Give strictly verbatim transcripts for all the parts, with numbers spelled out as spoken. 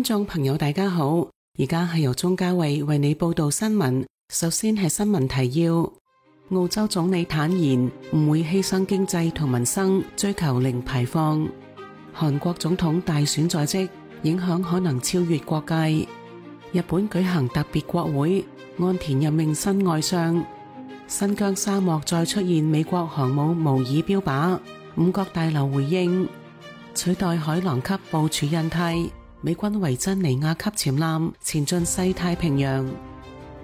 觀眾朋友大家好，而家係由鍾嘉慧為你報道新聞。首先係新聞提要：澳洲總理坦言唔會犧牲經濟同民生，追求零排放。韓國總統大選在即，影響可能超越國界。日本舉行特別國會，岸田任命新外相。新疆沙漠再出現美國航母模擬標靶，五角大樓回應取代海狼級部署印太。美軍維珍尼亞級潛艦前進西太平洋。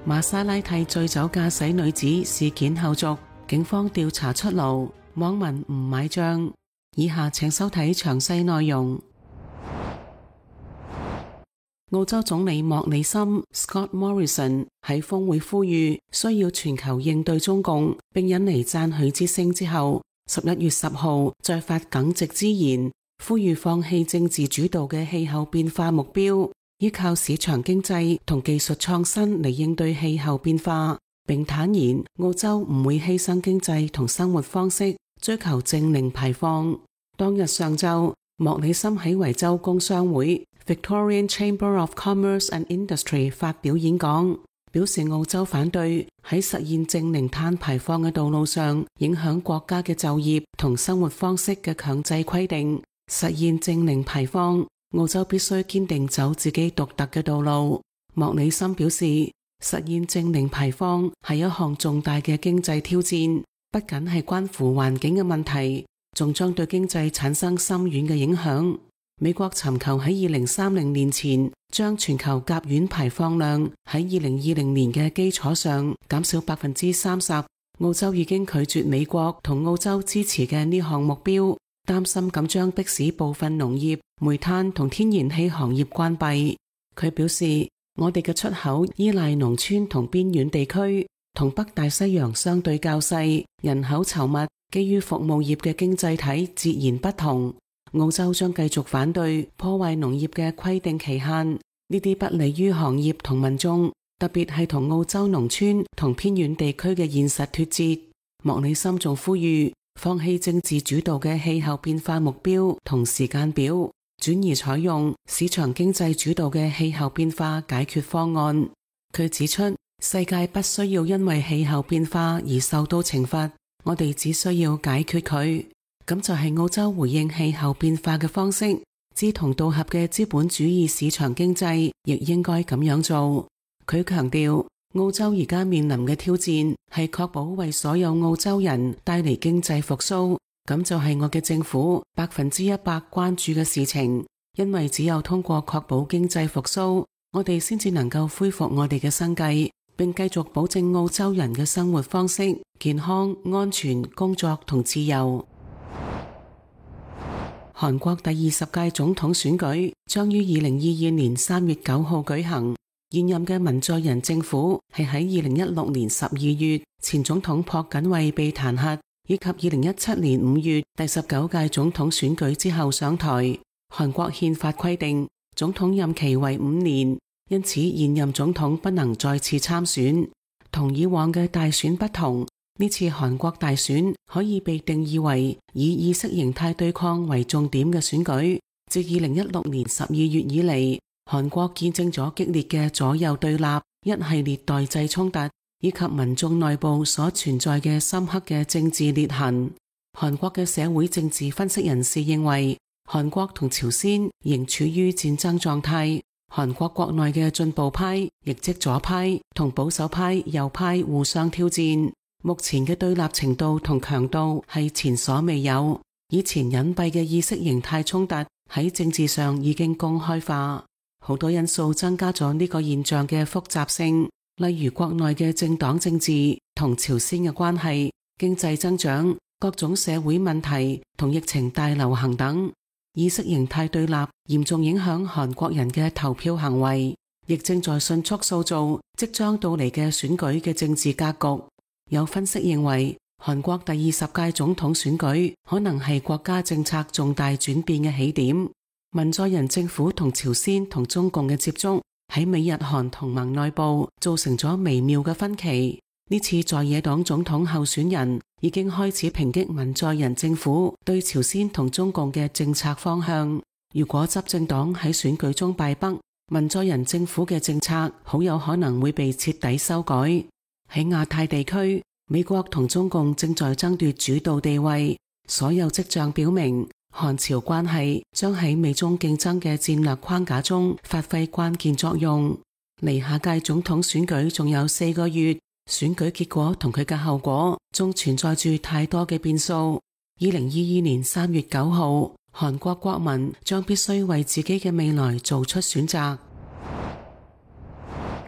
瑪莎拉蒂醉酒駕駛女子事件後續，警方調查出爐，網民唔買賬。以下請收睇詳細內容。澳洲總理莫里森 Scott Morrison 喺峰會呼籲需要全球應對中共，並引嚟讚許之聲之後，十一月十號再發耿直之言，呼籲放棄政治主導嘅氣候變化目標，依靠市場經濟同技術創新嚟應對氣候變化，並坦言澳洲唔會犧牲經濟同生活方式，追求淨零排放。當日上晝，莫里森喺維州工商會 Victorian Chamber of Commerce and Industry 發表演講，表示澳洲反對喺實現淨零碳排放嘅道路上影響國家嘅就業同生活方式嘅強制規定。實現淨零排放，澳洲必須堅定走自己獨特嘅道路。莫里森表示，實現淨零排放係一項重大嘅經濟挑戰，不僅係關乎環境嘅問題，仲將對經濟產生深遠嘅影響。美國尋求喺二零三零年前將全球甲烷排放量喺二零二零年嘅基礎上減少百分之三十。澳洲已經拒絕美國同澳洲支持嘅呢項目標，擔心咁將迫使部分農業、煤炭同天然氣行業關閉。佢表示，我哋嘅出口依賴農村同邊遠地區，同北大西洋相對較細、人口稠密、基於服務業嘅經濟體截然不同。澳洲將繼續反對破壞農業嘅規定期限，呢啲不利於行業同民眾，特別係同澳洲農村同偏遠地區嘅現實脫節。莫里森仲呼籲放棄政治主導嘅氣候變化目標同時間表，轉而採用市場經濟主導嘅氣候變化解決方案。佢指出，世界不需要因為氣候變化而受到懲罰，我哋只需要解決佢。咁就係澳洲回應氣候變化嘅方式。志同道合嘅資本主義市場經濟亦應該咁樣做。佢強調，澳洲而家面臨嘅挑戰係確保為所有澳洲人帶嚟經濟復甦，咁就係我嘅政府百分之一百關注嘅事情。因為只有通過確保經濟復甦，我哋先至能夠恢復我哋嘅生計，並繼續保證澳洲人嘅生活方式、健康、安全、工作同自由。韓國第二十屆總統選舉將於二零二二年三月九號舉行。現任嘅文在寅政府係喺二零一六年十二月前總統朴槿惠被彈劾，以及二零一七年五月第十九屆總統選舉之後上台。韓國憲法規定總統任期為五年，因此現任總統不能再次參選。同以往嘅大選不同，呢次韓國大選可以被定義為以意識形態對抗為重點嘅選舉。自二零一六年十二月以嚟，韓國見證咗激烈嘅左右對立、一系列代際衝突，以及民眾內部所存在嘅深刻嘅政治裂痕。韓國嘅社會政治分析人士認為，韓國同朝鮮仍處於戰爭狀態。韓國國內嘅進步派，亦即左派同保守派右派互相挑戰。目前嘅對立程度同強度係前所未有，以前隱蔽嘅意識形態衝突喺政治上已經公開化，好多因素增加咗呢個現象嘅複雜性，例如國內嘅政黨政治同朝鮮嘅關係、經濟增長、各種社會問題同疫情大流行等。意識形態對立嚴重影響韓國人嘅投票行為，亦正在迅速塑造即將到嚟嘅選舉嘅政治格局。有分析認為，韓國第二十屆總統選舉可能係國家政策重大轉變嘅起點。文在寅政府同朝鮮同中共嘅接觸喺美日韓同盟內部造成咗微妙嘅分歧。呢次在野黨總統候選人已經開始抨擊文在寅政府對朝鮮同中共嘅政策方向。如果執政黨喺選舉中敗北，文在寅政府嘅政策好有可能會被徹底修改。喺亞太地區，美國同中共正在爭奪主導地位，所有跡象表明，韓朝關係將喺美中競爭嘅戰略框架中發揮關鍵作用。離下屆總統選舉仲有四個月，選舉結果同佢嘅後果仲存在住太多嘅變數。二零二二年三月九號，韓國國民將必須為自己嘅未來做出選擇。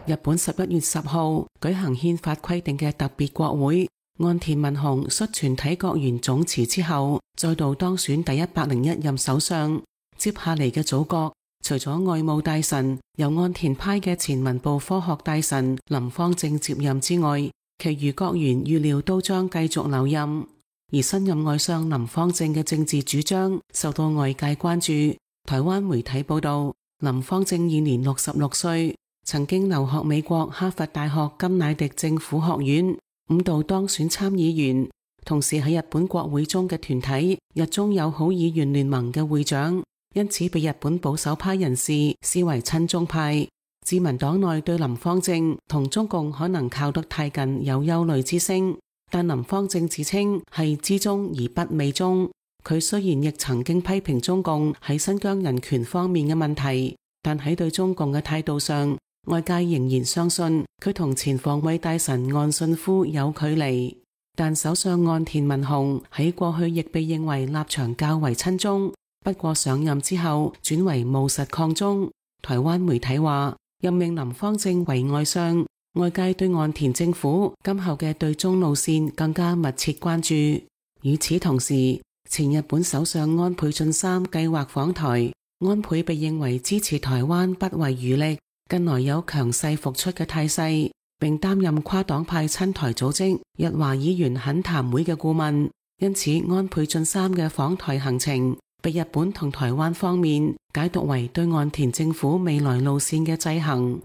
日本十一月十號舉行憲法規定嘅特別國會，岸田文雄率全體國員總辭之後，再度當選第一百零一任首相。接下嚟嘅組閣，除咗外務大臣由岸田派嘅前文部科學大臣林芳正接任之外，其餘國員預料都將繼續留任。而新任外相林芳正嘅政治主張受到外界關注。台灣媒體報道，林芳正現年六十六歲，曾經留學美國哈佛大學甘迺迪政府學院，五度當選參議員，同時喺日本國會中嘅團體日中友好議員聯盟嘅會長，因此被日本保守派人士視為親中派。自民黨內對林芳正同中共可能靠得太近有憂慮之聲，但林芳正自稱係知中而不媚中。佢雖然亦曾經批評中共喺新疆人權方面嘅問題，但喺對中共嘅態度上，外界仍然相信佢同前防衛大臣岸信夫有距離。但首相岸田文雄喺過去亦被認為立場較為親中，不過上任之後轉為務實抗中。台灣媒體話，任命林芳正為外相，外界對岸田政府今後嘅對中路線更加密切關注。與此同時，前日本首相安倍晉三計劃訪台，安倍被認為支持台灣不遺餘力，近來有強勢復出嘅態勢，並擔任跨黨派親台組織日華議員懇談會嘅顧問。因此，安倍晉三嘅訪台行程被日本同台灣方面解讀為對岸田政府未來路線嘅制衡。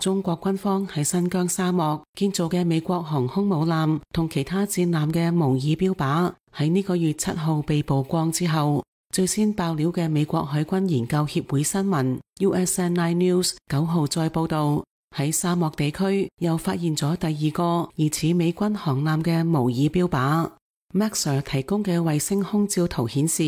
中國軍方喺新疆沙漠建造嘅美國航空母艦同其他戰艦嘅模擬標靶喺呢個月七號被曝光之後，最先爆料嘅美國海軍研究協會新聞 U S N I News 九號再報道，喺沙漠地區又發現咗第二個疑似美軍航艦嘅模擬標靶。Maxar 提供嘅衛星空照圖顯示，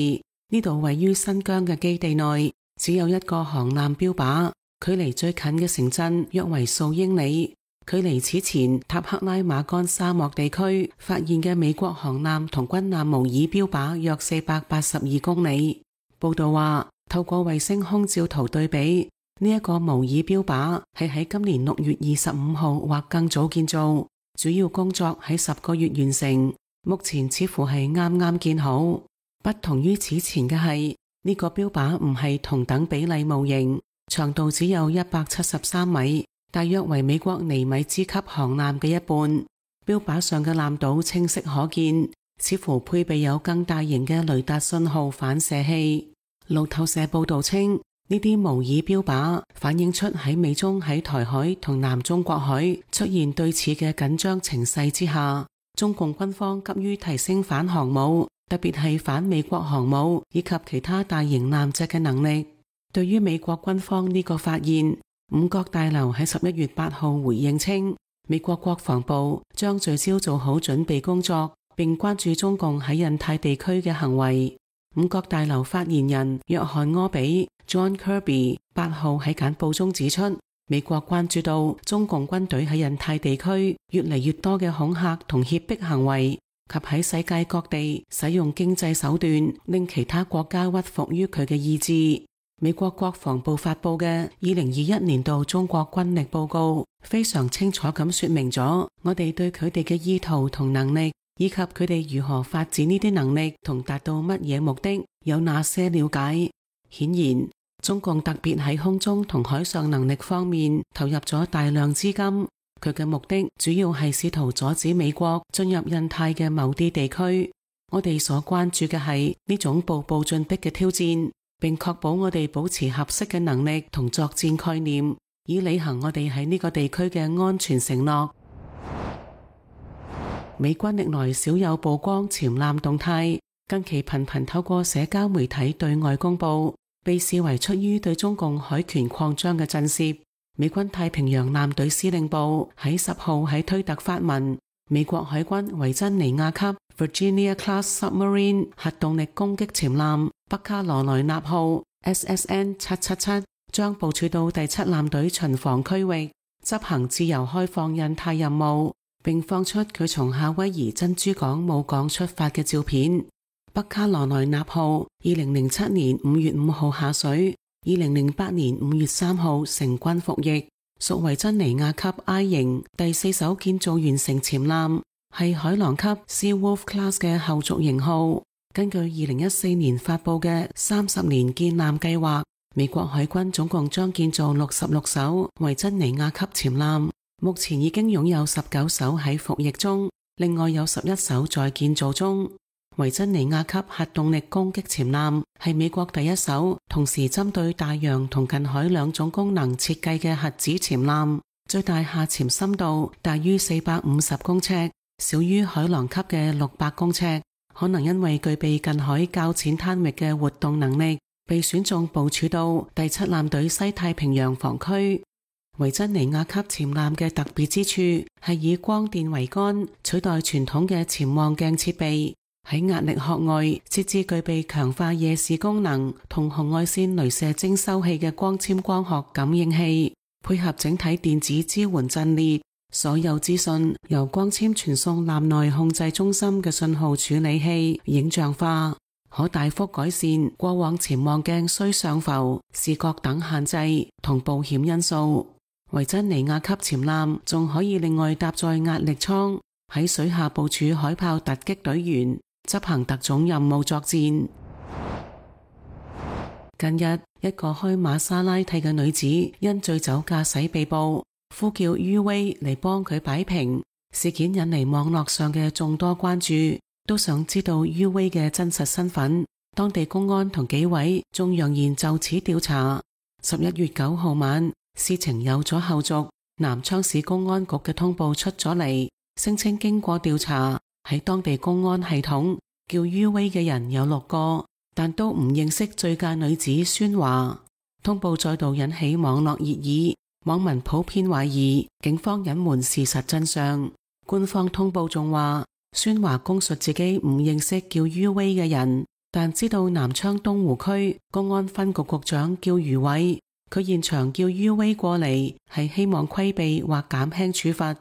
呢度位於新疆嘅基地內只有一個航艦標靶，距離最近嘅城鎮約為數英里，距離此前塔克拉瑪干沙漠地區發現嘅美國航艦同軍艦模擬標靶約四百八十二公里。報道話，透過衛星空照圖對比，呢、這、一個模擬標靶係喺今年六月二十五號或更早建造，主要工作喺十個月完成，目前似乎係啱啱建好。不同於此前嘅係，呢、這個標靶唔係同等比例模型，長度只有一百七十三米，大約為美國尼米茲級航艦嘅一半。標靶上嘅艦島清晰可見，似乎配備有更大型嘅雷達信號反射器。路透社報道稱，呢啲模擬標靶反映出喺美中喺台海同南中國海出現對峙嘅緊張情勢之下，中共軍方急於提升反航母，特別係反美國航母以及其他大型艦隻嘅能力。對於美國軍方呢個發現，五角大樓喺十一月八號回應稱，美國國防部將聚焦做好準備工作，並關注中共喺印太地區嘅行為。五角大樓發言人約翰柯比 John Kirby 八號喺簡報中指出，美國關注到中共軍隊喺印太地區越嚟越多嘅恐嚇同脅迫行為，及喺世界各地使用經濟手段令其他國家屈服於佢嘅意志。美國國防部發佈嘅二零二一年度中國軍力報告非常清楚咁說明咗我哋對佢哋嘅意圖同能力，以及佢哋如何發展呢啲能力同達到乜嘢目的有哪些了解。顯然，中共特別喺空中同海上能力方面投入咗大量資金，佢嘅目的主要係試圖阻止美國進入印太嘅某啲地區。我哋所關注嘅係呢種步步進逼嘅挑戰，並確保我哋保持合適嘅能力同作戰概念，以履行我哋喺呢個地區嘅安全承諾。美軍歷來少有曝光潛艦動態，近期頻頻透過社交媒體對外公佈。被視為出於對中共海權擴張嘅震懾。美軍太平洋艦隊司令部喺十號喺推特發文，美國海軍維珍尼亞級 Virginia Class Submarine 核動力攻擊潛艦北卡羅來納號 S S N 七七七 將部署到第七艦隊巡防區域，執行自由開放印太任務，並放出佢從夏威夷珍珠港母港出發嘅照片。北卡羅來納號二零零七年五月五號下水，二零零八年五月三號成軍服役，屬維珍尼亞級 I 型第四艘建造完成潛艦，係海狼級 Seawolf Class 嘅後續型號。根據二零一四年發佈嘅三十年建艦計劃，美國海軍總共將建造六十六艘維珍尼亞級潛艦，目前已經擁有十九艘喺服役中，另外有十一艘在建造中。維珍尼亞級核動力攻擊潛艦係美國第一艘同時針對大洋同近海兩種功能設計嘅核子潛艦，最大下潛深度大於四百五十公尺，少於海狼級嘅六百公尺。可能因為具備近海較淺灘域嘅活動能力，被選中部署到第七艦隊西太平洋防區。維珍尼亞級潛艦嘅特別之處係以光電桅杆取代傳統嘅潛望鏡設備，喺壓力殼外設置具備強化夜視功能同紅外線鐳射徵收器嘅光纖光學感應器，配合整體電子支援陣列，所有資訊由光纖傳送艦內控制中心嘅信號處理器影像化，可大幅改善過往潛望鏡需上浮、視覺等限制同保險因素。維珍尼亞級潛艦仲可以另外搭載壓力艙，喺水下部署海豹突擊隊員，執行特種任務作戰。近日，一個開瑪莎拉蒂嘅女子因醉酒駕駛被捕，呼叫 U V 嚟幫佢擺平。事件引嚟網絡上嘅眾多關注，都想知道 U V 嘅真實身份。當地公安同紀委仲揚言就此調查。十一月九號晚，事情有咗後續，南昌市公安局嘅通報出咗嚟，聲稱經過調查，喺當地公安系統叫 U V 嘅人有六個，但都唔認識醉駕女子孫華。通報再度引起網絡熱議，網民普遍懷疑警方隱瞞事實真相。官方通報仲話，孫華供述自己唔認識叫 U V 嘅人，但知道南昌東湖區公安分局局長叫余偉，佢現場叫 U V 過嚟係希望規避或減輕處罰。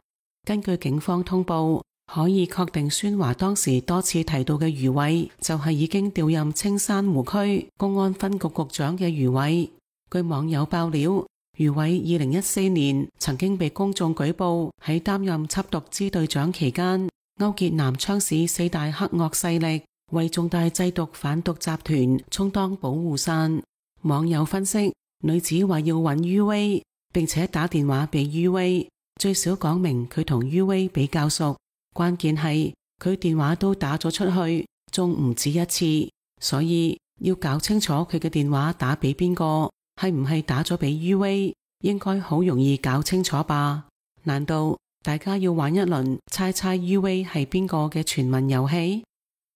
根據警方通報，可以確定孫華當時多次提到嘅余偉就係已經調任青山湖區公安分局局長嘅余偉。據網友爆料，余偉二零一四年曾經被公眾舉報喺擔任緝毒支隊長期間勾結南昌市四大黑惡勢力，為重大製毒販毒集團充當保護傘。網友分析，女子話要揾 U V， 並且打電話俾 U V， 最少講明佢同 U V 比較熟。關鍵係佢電話都打咗出去，仲唔止一次，所以要搞清楚佢嘅電話打俾邊個，係唔係打咗俾 U V， 應該好容易搞清楚吧？難道大家要玩一輪猜猜 U V 係邊個嘅全民遊戲？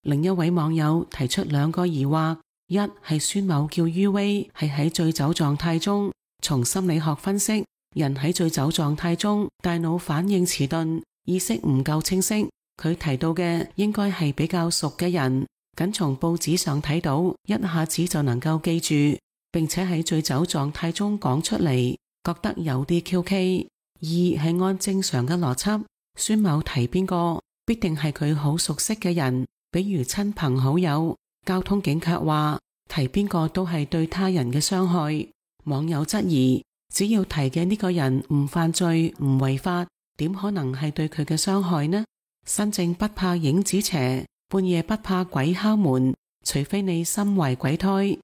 另一位網友提出兩個疑惑，一係孫某叫 U V 係喺醉酒狀態中。從心理學分析，人喺醉酒狀態中大腦反應遲鈍，意識唔夠清晰。佢提到嘅應該係比較熟嘅人，僅從報紙上睇到，一下子就能夠記住，並且喺醉酒狀態中講出嚟，覺得有啲蹊蹺。二係按正常嘅邏輯，孫某提邊個必定係佢好熟悉嘅人，比如親朋好友。交通警卻話提邊個都係對他人嘅傷害。網友質疑，只要提嘅呢個人唔犯罪唔違法，點可能係對佢嘅傷害呢？身正不怕影子斜，半夜不怕鬼敲門，除非你心懷鬼胎。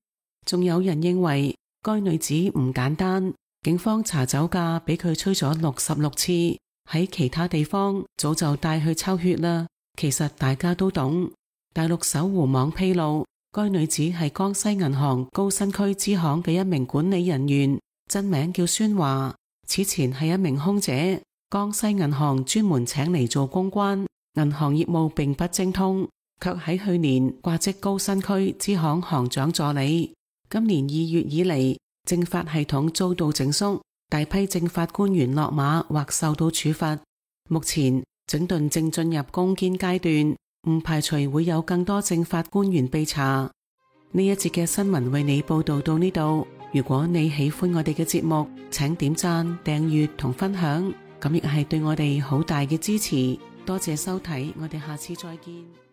仲有人認為該女子唔簡單，警方查酒駕俾佢吹咗六十六次，喺其他地方早就帶去抽血啦。其實大家都懂。大陸搜狐網披露，該女子係江西銀行高新區支行嘅一名管理人員，真名叫孫華。此前係一名空姐，江西銀行專門請嚟做公關，銀行業務並不精通，卻喺去年掛職高新區支行行長助理。今年二月以嚟，政法系統遭到整肅，大批政法官員落馬或受到處罰。目前整頓正進入攻堅階段，唔排除會有更多政法官員被查。呢一節嘅新聞為你報道到呢度。如果你喜歡我哋嘅節目，請點讚、訂閱同分享，咁亦係對我哋好大嘅支持。多謝收睇，我哋下次再見。